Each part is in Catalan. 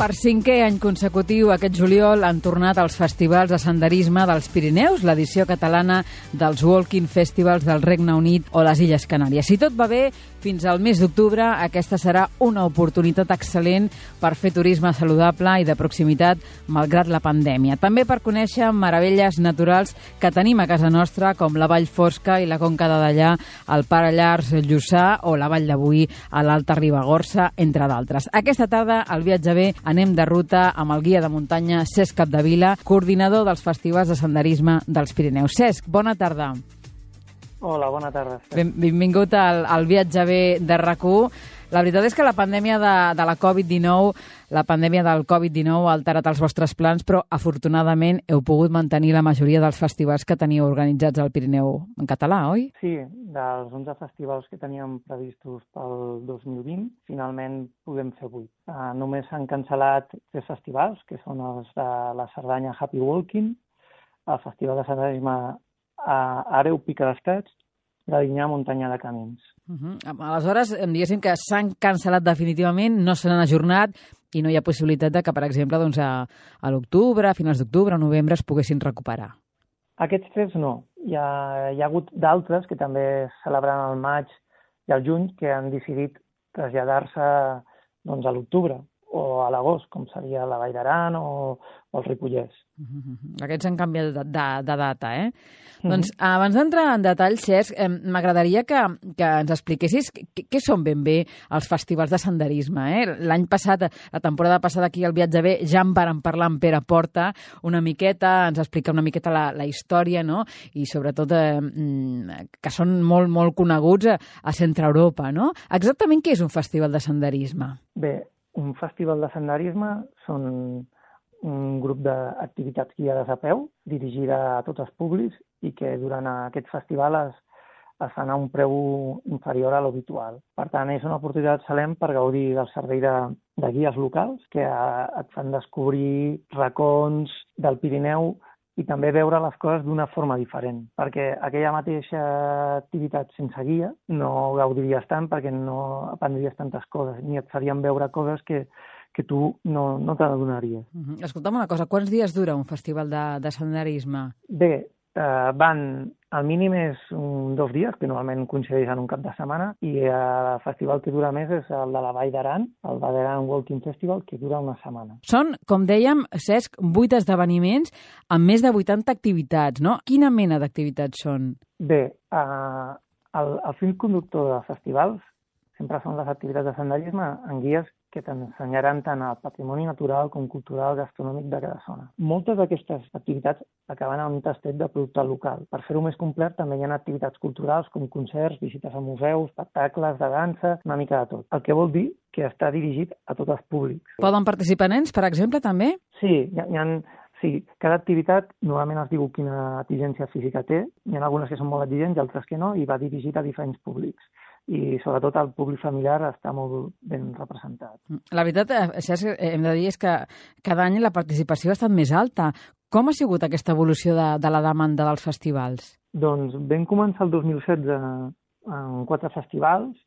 Per 5è any consecutiu, aquest juliol han tornat els festivals de senderisme dels Pirineus, l'edició catalana dels Walking Festivals del Regne Unit o les Illes Canàries. Si tot va bé, fins al mes d'octubre aquesta serà una oportunitat excel·lent per fer turisme saludable i de proximitat malgrat la pandèmia. També per conèixer meravelles naturals que tenim a casa nostra, com la Vall Fosca i la Conca de Dellà, el Pare Llarç Lluçà o la Vall de Boí a l'Alta Ribagorça, entre d'altres. Aquesta tarda, al Viatge Bé, anem de ruta amb el guia de muntanya Cesc Capdevila, coordinador dels festivals de senderisme dels Pirineus. Cesc, bona tarda. Hola, bona tarda. Benvingut al Viatge Bé de RAC1. La veritat és que la pandèmia de la Covid-19, la pandèmia del Covid-19 ha alterat els vostres plans, però afortunadament heu pogut mantenir la majoria dels festivals que teniu organitzats al Pirineu en català, oi? Sí, dels 11 festivals que teníem previstos pel 2020, finalment podem fer 8. Només s'han cancel·lat 3 festivals, que són els de la Cerdanya Happy Walking, el Festival de Senderisme a Àreu Pica d'Estats, de Dinyà Muntanya de Camins. Aleshores, diguéssim que s'han cancel·lat definitivament, no se n'han ajornat i no hi ha possibilitat de que, per exemple, doncs a l'octubre, a finals d'octubre, a novembre, es poguessin recuperar. Aquests 3 no. Hi ha hagut d'altres que també es celebraran al maig i al juny que han decidit traslladar-se doncs, a l'octubre o a l'agost, com seria la Vall d'Aran o el Ripollès. Aquests han canviat de data, eh? Doncs abans d'entrar en detall, Cesc, m'agradaria que ens expliquessis què són ben bé els festivals de senderisme. L'any passat, la temporada passada aquí al Viatge Bé, ja en vàrem parlar amb Pere Porta una miqueta, ens explica una miqueta la història, no? I sobretot que són molt, molt coneguts a Centre Europa, no? Exactament què és un festival de senderisme? Bé, un festival de senderisme són un grup d'activitats guiades a peu, dirigida a tots els públics i que durant aquest festival es fan a un preu inferior a l'habitual. Per tant, és una oportunitat excel·lent per gaudir del servei de guies locals que et fan descobrir racons del Pirineu i també veure les coses d'una forma diferent, perquè aquella mateixa activitat sense guia no gaudiries tant perquè no aprendries tantes coses, ni et farien veure coses que tu no te n'adonaries. Escolta'm una cosa, quants dies dura un festival de senderisme? Bé, el mínim és 2 dies, que normalment coincideix en un cap de setmana, i el festival que dura més és el de la Vall d'Aran, el Vall d'Aran Walking Festival, que dura una setmana. Són, com dèiem, Cesc, 8 esdeveniments amb més de 80 activitats, no? Quina mena d'activitats són? Bé, el fil conductor de festivals sempre són les activitats de senderisme en guies que t'ensenyaran tant el patrimoni natural com cultural, gastronòmic de cada zona. Moltes d'aquestes activitats acaben amb un tastet de producte local. Per fer-ho més complet també hi ha activitats culturals com concerts, visites a museus, espectacles de dansa, una mica de tot. El que vol dir que està dirigit a tots els públics. Poden participar nens, per exemple, també? Sí, sí, cada activitat normalment es diu quina exigència física té. Hi ha algunes que són molt exigents i altres que no, i va dirigit a diferents públics. I sobretot el públic familiar està molt ben representat. La veritat, Cesc, hem de dir és que cada any la participació ha estat més alta. Com ha sigut aquesta evolució de la demanda dels festivals? Doncs vam començar el 2016 en 4 festivals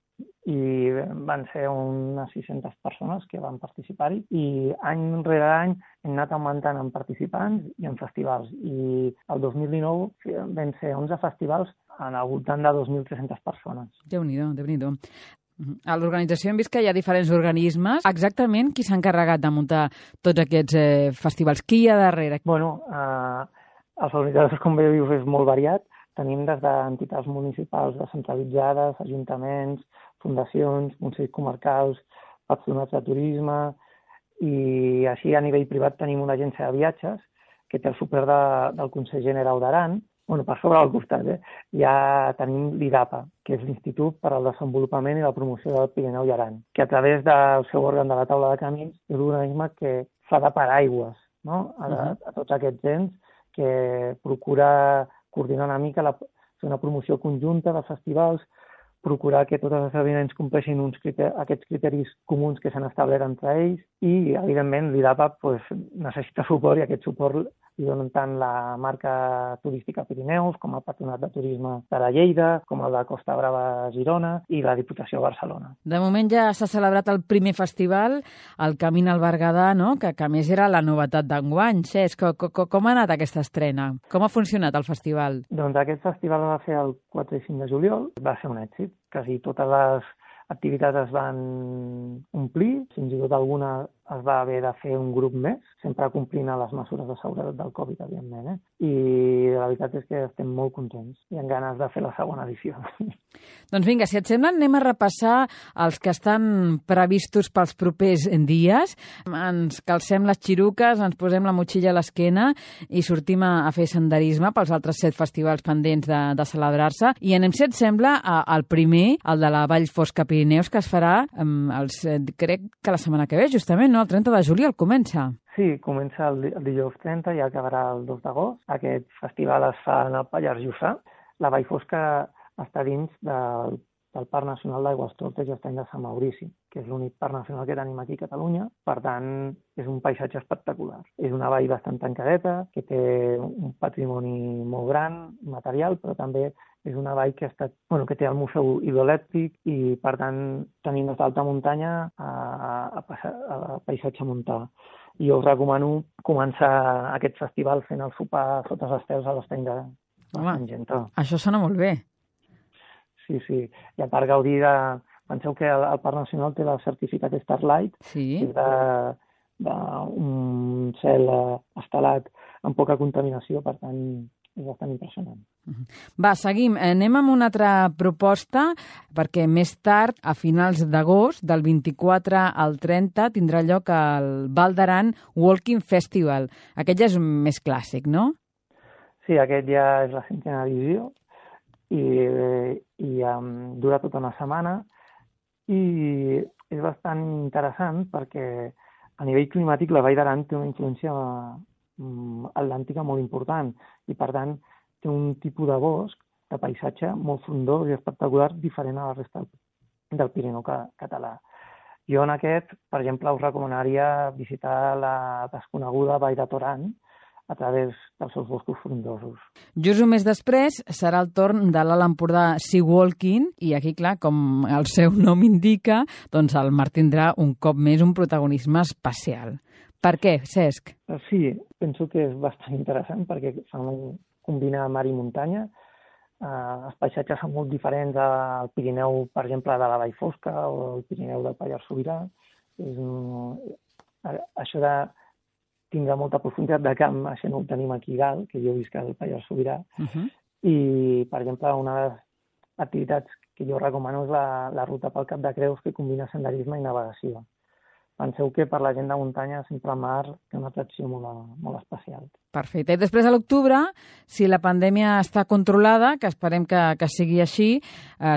i van ser unes 600 persones que van participar-hi i any rere any hem anat augmentant en participants i en festivals. I el 2019 van ser 11 festivals al voltant de 2.300 persones. Déu-n'hi-do, Déu-n'hi-do. A l'organització hem vist que hi ha diferents organismes. Exactament qui s'ha encarregat de muntar tots aquests festivals? Qui hi ha darrere? Bueno, els organitzadors, com bé dius, és molt variat. Tenim des d'entitats municipals descentralitzades, ajuntaments, fundacions, consells comarcals, patronats de turisme i així a nivell privat tenim una agència de viatges que té el suport del Consell General d'Aran. Bueno, per sobre al costat, ja tenim l'IDAPA, que és l'Institut per al Desenvolupament i la Promoció del Pirineu i Aran, que a través del seu òrgan de la taula de camins és un organisme que fa de paraigües, no? A tots aquests ens que procura coordinar una mica, fer una promoció conjunta de festivals, procurar que tots els esdeveniments compleixin aquests criteris comuns que s'han establert entre ells i, evidentment, l'IDAPA necessita suport i aquest suport li donen tant la marca turística Pirineus com el Patronat de Turisme de la Lleida, com el de Costa Brava Girona i la Diputació de Barcelona. De moment ja s'ha celebrat el primer festival, el Camín al Berguedà, no? que a més era la novetat d'enguany. Cesc, com ha anat aquesta estrena? Com ha funcionat el festival? Doncs aquest festival va fer el 4 i 5 de juliol, va ser un èxit. Quasi totes les activitats es van omplir, fins i tot alguna es va haver de fer un grup més, sempre complint les mesures de seguretat del Covid, evidentment. I la veritat és que estem molt contents i amb ganes de fer la segona edició. Doncs vinga, si et sembla, anem a repassar els que estan previstos pels propers dies. Ens calcem les xiruques, ens posem la motxilla a l'esquena i sortim a fer senderisme pels altres 7 festivals pendents de celebrar-se. I anem, si et sembla, al primer, el de la Vall Fosca Pirineus, que es farà, crec que la setmana que ve, justament, no? El 30 de juliol comença. Sí, comença el dijous 30 i acabarà el 2 d'agost. Aquest festival es fa en el Pallars Jussà. La Vall Fosca està dins del Parc Nacional d'Aigües Tortes i Estany de Sant Maurici, que és l'únic parc nacional que tenim aquí a Catalunya. Per tant, és un paisatge espectacular. És una vall bastant tancadeta, que té un patrimoni molt gran, material, però també és una vall que té el museu hidroelèctric i, per tant, tenim des d'alta muntanya a paisatge montà. I us recomano començar aquest festival fent el sopar sota els estels a l'Estany de Sant Gentó. Això sona molt bé. Sí. I a part gaudir penseu que el Parc Nacional té el certificat Starlight, sí. Que és d'un cel estelat amb poca contaminació, per tant, és bastant impressionant. Va, seguim. Anem amb una altra proposta, perquè més tard, a finals d'agost, del 24 al 30, tindrà lloc el Val d'Aran Walking Festival. Aquest ja és més clàssic, no? Sí, aquest ja és la 5a edició i dura tota una setmana i és bastant interessant perquè a nivell climàtic la Vall d'Aran té una influència atlàntica molt important i, per tant, té un tipus de bosc, de paisatge molt frondós i espectacular, diferent a la resta del Pirineu català. Jo en aquest, per exemple, us recomanaria visitar la desconeguda Vall de Toran a través dels seus boscos frondosos. Just un mes després serà el torn de l'Alt Empordà Sea Walking i aquí, clar, com el seu nom indica, doncs el mar tindrà un cop més un protagonisme especial. Per què, Cesc? Sí, penso que és bastant interessant perquè combina mar i muntanya. Els paisatges són molt diferents al Pirineu, per exemple, de la Vall Fosca o el Pirineu del Pallars Sobirà. Això de tindrà molta profunditat de camp, això no ho tenim aquí a dalt, que jo visc al Pallars Sobirà. I, per exemple, una de les activitats que jo recomano és la ruta pel Cap de Creus, que combina senderisme i navegació. Penseu que per la gent de muntanya sempre el mar té una atracció molt especial. Perfecte. I després, a l'octubre, si la pandèmia està controlada, que esperem que sigui així,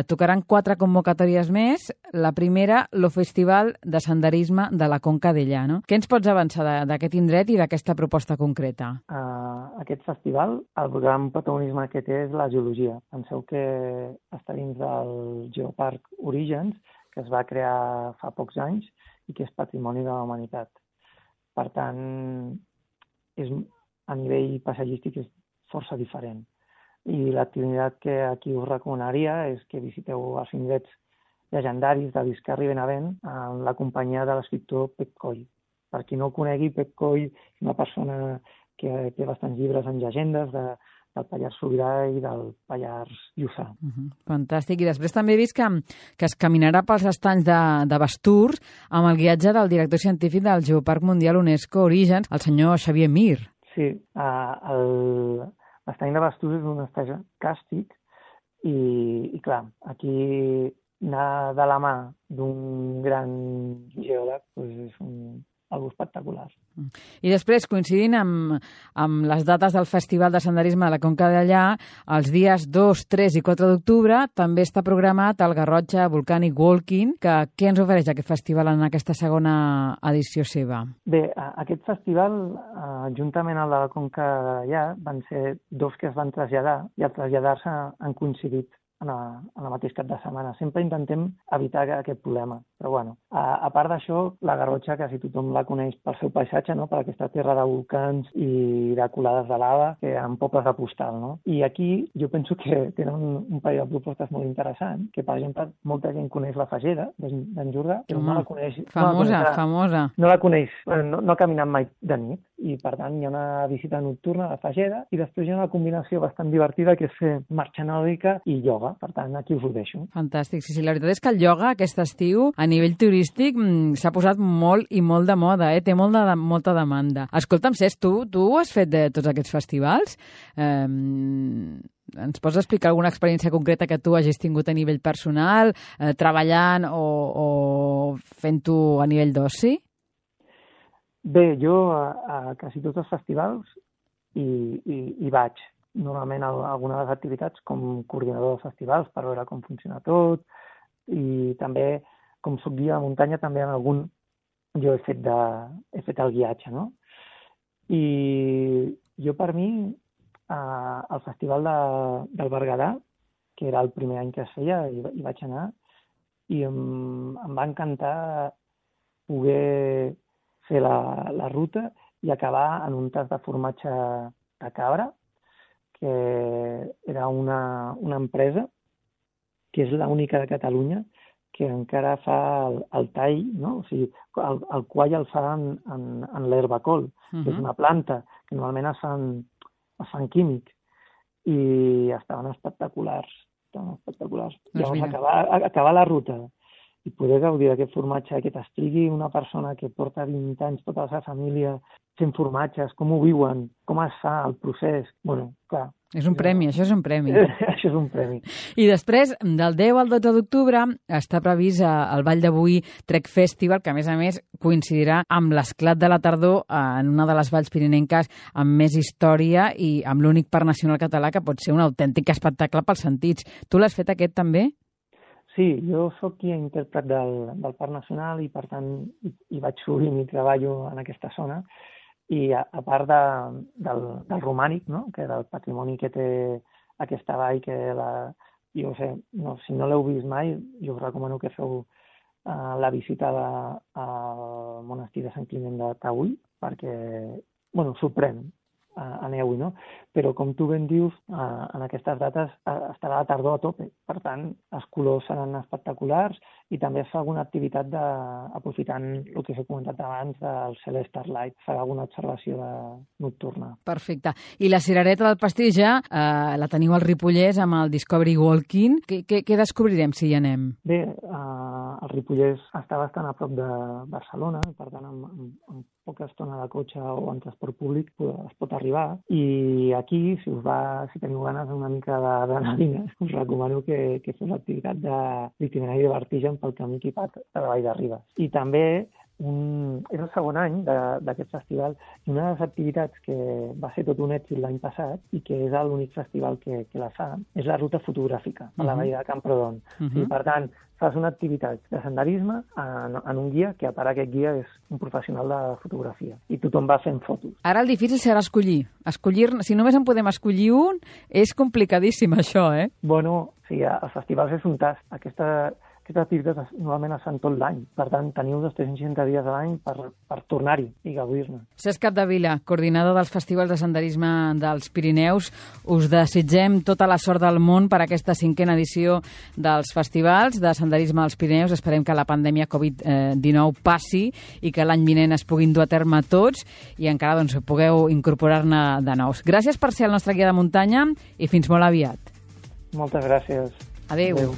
tocaran 4 convocatòries més. La primera, el Festival de Senderisme de la Conca Dellà. No? Què ens pots avançar d'aquest indret i d'aquesta proposta concreta? Aquest festival, el gran protagonisme que té és la geologia. Penseu que està dins del Geoparc Orígens, que es va crear fa pocs anys, i que és patrimoni de la humanitat. Per tant, a nivell paisatgístic és força diferent. I l'activitat que aquí us recomanaria és que visiteu els indrets llegendaris de Biscarri i Benavent amb la companyia de l'escriptor Pep Coll. Per qui no el conegui, Pep Coll és una persona que té bastants llibres en llegendes del Pallars Sobirà i del Pallars Jussà. Fantàstic. I després també he vist que es caminarà pels estanys de Basturs amb el guiatge del director científic del Geoparc Mundial UNESCO Orígens, el senyor Xavier Mir. Sí, l'estany de Basturs és un estany càstic i clar, aquí anar de la mà d'un gran geòleg és algo espectacular. I després, coincidint amb les dates del Festival de Senderisme de la Conca Dellà, els dies 2, 3 i 4 d'octubre també està programat el Garrotxa Volcanic Walking. Què ens ofereix aquest festival en aquesta segona edició seva? Bé, aquest festival, juntament amb la Conca Dellà, van ser 2 que es van traslladar i al traslladar-se han coincidit en el mateix cap de setmana. Sempre intentem evitar aquest problema. Però bueno, a part d'això, la Garrotxa quasi tothom la coneix pel seu paisatge, no? Per aquesta terra de volcans i de colades de lava, amb pobles de postal, no? I aquí jo penso que tenen un parell de propostes molt interessants, que per exemple molta gent coneix la Fageda d'en Jordà, però no la coneix. Famosa. No la coneix, no ha caminat mai de nit, i per tant hi ha una visita nocturna a la Fageda i després hi ha una combinació bastant divertida que és fer marxa nòrdica i ioga. Per tant, aquí us ho deixo. Fantàstic. Sí, la veritat és que el ioga aquest estiu a nivell turístic s'ha posat molt i molt de moda, té molta demanda. Escolta'm, Cesc, tu has fet de tots aquests festivals? Ens pots explicar alguna experiència concreta que tu hagis tingut a nivell personal, treballant o fent-ho a nivell d'oci? Bé, jo a quasi tots els festivals hi vaig. Normalment alguna de les activitats com coordinador de festivals per veure com funciona tot, i també, com soc guia de muntanya, també en algun jo he fet el guiatge, no? I jo per mi, al Festival del Berguedà, que era el primer any que es feia, hi vaig anar, i em va encantar poder fer la ruta i acabar en un tas de formatge de cabra, que era una empresa que és l'única de Catalunya que encara fa el tall, no? O sigui, el quall el fa en l'herbacol, que és una planta que normalment es fan químic, i estaven espectaculars. Llavors, acabar la ruta i poder gaudir d'aquest formatge, que t'expliqui una persona que porta 20 anys, tota la seva família, fent formatges, com ho viuen, com es fa el procés. Bueno, clar. És un premi, això és un premi. Això és un premi. I després, del 10 al 12 d'octubre, està previst el Vall de Boí Trek Festival, que a més coincidirà amb l'esclat de la tardor en una de les valls pirinenques amb més història i amb l'únic parc nacional català, que pot ser un autèntic espectacle pels sentits. Tu l'has fet aquest també? Sí, jo sóc guia intèrpret del Parc Nacional i, per tant, hi vaig sovint i treballo en aquesta zona. I a part del romànic, no? Que del patrimoni que té aquesta vall, que jo sé, si no l'heu vist mai, jo us recomano que feu la visita al monestir de Sant Climent de Taüll, perquè, sorprèn. Aneu-hi, no? Però, com tu ben dius, en aquestes dates estarà la tardor a tope. Per tant, els colors seran espectaculars i també es fa alguna activitat aprofitant el que s'ha comentat abans del cel Starlight, farà alguna observació nocturna. Perfecte. I la cirereta del pastís ja la teniu al Ripollès amb el Discovery Walking. Què descobrirem si hi anem? Bé, el Ripollès està bastant a prop de Barcelona, per tant, amb poca estona de cotxe o en transport públic es pot arribar. I aquí, si teniu ganes una mica d'adrenalina, us recomano que feu l'activitat d'itinerari de vertigen pel camí equipat de la Vall de Ribes. I també és el segon any d'aquest festival, i una de les activitats que va ser tot un èxit l'any passat i que és l'únic festival que la fa, és la ruta fotogràfica a la Vall de Camprodon. I, per tant, fas una activitat de senderisme en un guia, que a part aquest guia és un professional de fotografia, i tothom va fent fotos. Ara el difícil serà escollir. Si només en podem escollir un, és complicadíssim això, eh? Bueno, sí, els festivals és un tast. Aquestes activitats normalment es fan tot l'any. Per tant, teniu 360 dies a l'any per tornar-hi i gaudir-ne. Cesc Capdevila, coordinador dels festivals de senderisme dels Pirineus, us desitgem tota la sort del món per aquesta 5a edició dels festivals de senderisme dels Pirineus. Esperem que la pandèmia Covid-19 passi i que l'any vinent es puguin dur a terme tots i encara pugueu incorporar-ne de nous. Gràcies per ser el nostre guia de muntanya i fins molt aviat. Moltes gràcies. Adéu.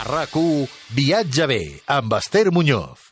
RAC1 Viatge bé amb Esther Muñoz.